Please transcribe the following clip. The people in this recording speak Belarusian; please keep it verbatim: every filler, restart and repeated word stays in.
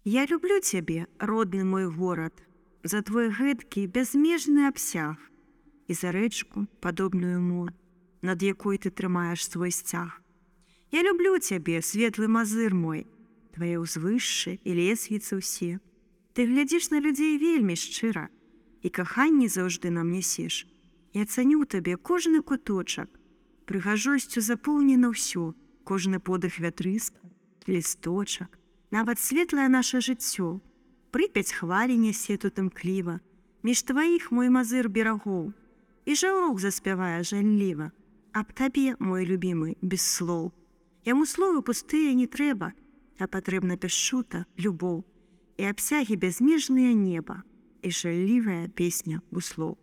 Я люблю цябе, родны мой горад, за твой гэткі бязмежны абсяг і за рэчку, падобную мор, над якой ты трымаеш свой сцяг. Я люблю цябе, светлы мазыр мой, твае ўзвышшы і лесвіцы ўсе. Ты глядзіш на людзей вельмі шчыра, і каханне заўжды нам нясеш. Я цаню табе кожны куточак, прыгажосцю запоўнена ўсё, кожны подых вятрыска, лісточак, нават светлае наша жыццё. Прыпяць хвалі нясе тут імкліва, між тваіх мой мазыр берагоў, і жаўрок заспявае жалліва. Аб табе, мой любімы, без слоў. Яму словы пустыя не трэба, а патрэбна пяшчута, любоў, і абсягі бязмежныя неба, і жаллівая песня буслоў.